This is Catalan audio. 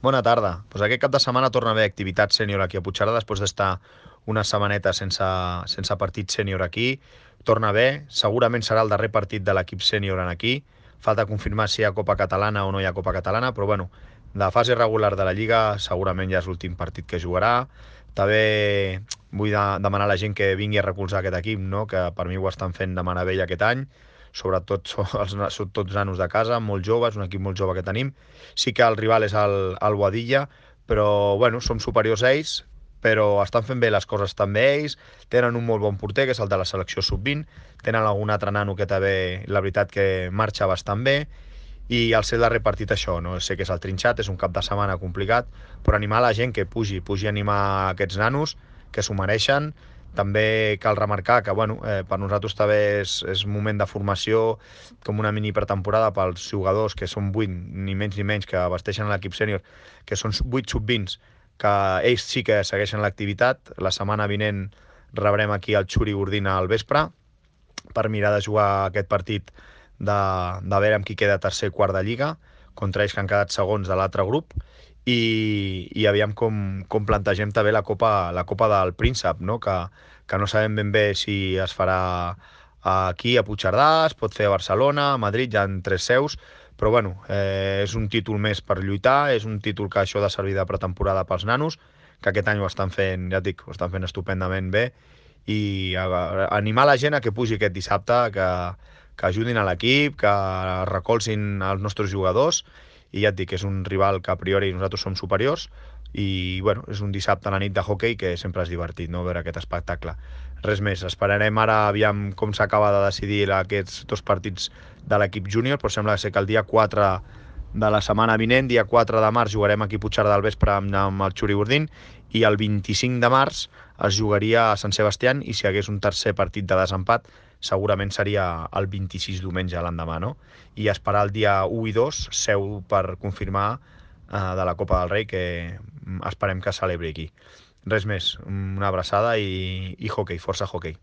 Bona tarda. Pues aquest cap de setmana torna a haver activitat sènior aquí a Puigcerdà, després d'estar una setmaneta sense partit sènior aquí. Torna a haver, segurament serà el darrer partit de l'equip sènior en aquí. Falta confirmar si hi ha Copa Catalana o no hi ha Copa Catalana, però bueno, de fase regular de la Lliga segurament ja és l'últim partit que jugarà. També vull demanar a la gent que vingui a recolzar aquest equip, no? Que per mi ho estan fent de meravella aquest any, sobretot són tots nanos de casa, molt joves, un equip molt jove que tenim. Sí que el rival és el Boadilla, però bueno, som superiors a ells, però estan fent bé les coses també ells, tenen un molt bon porter, que és el de la selecció sub-20, tenen algun altre nano que també, la veritat que marxa bastant bé, i el seu darrer partit això, no? Sé que és el trinxat, és un cap de setmana complicat, però animar la gent que pugi a animar aquests nanos, que s'ho mereixen. També cal remarcar que bueno, per nosaltres també és moment de formació, com una mini pretemporada pels jugadors, que són 8, ni menys ni menys, que vesteixen l'equip sènior, que són 8 sub-20, que ells sí que segueixen l'activitat. La setmana vinent rebrem aquí el Xuri Gordina al vespre per mirar de jugar aquest partit de veure amb qui queda tercer i quart de Lliga, contra ells que han quedat segons de l'altre grup, i aviam com plantegem també la Copa del Príncep, no? Que no sabem ben bé si es farà aquí a Puigcerdà, es pot fer a Barcelona, a Madrid, hi ha 3 seus, però bueno, és un títol més per lluitar, és un títol que això ha de servir de pretemporada pels nanos, que aquest any ho estan fent, ja et dic, ho estan fent estupendament bé, i animar la gent a que pugi aquest dissabte, que ajudin a l'equip, que recolzin els nostres jugadors, i ja et dic, és un rival que a priori nosaltres som superiors, i bueno, és un dissabte a la nit de hoquei que sempre és divertit, no?, veure aquest espectacle. Res més, esperarem ara aviam com s'acaba de decidir aquests 2 partits de l'equip júnior, però sembla ser que el dia 4 de la setmana vinent, dia 4 de març, jugarem aquí a Puigcerdà al vespre amb el Xuri Gordín, i el 25 de març es jugaria a Sant Sebastián, i si hi hagués un tercer partit de desempat segurament seria el 26 diumenge l'endemà, no? I esperar el dia 1 i 2 seu per confirmar de la Copa del Rei, que esperem que es celebri aquí. Res més, una abraçada i hoquei, força hoquei.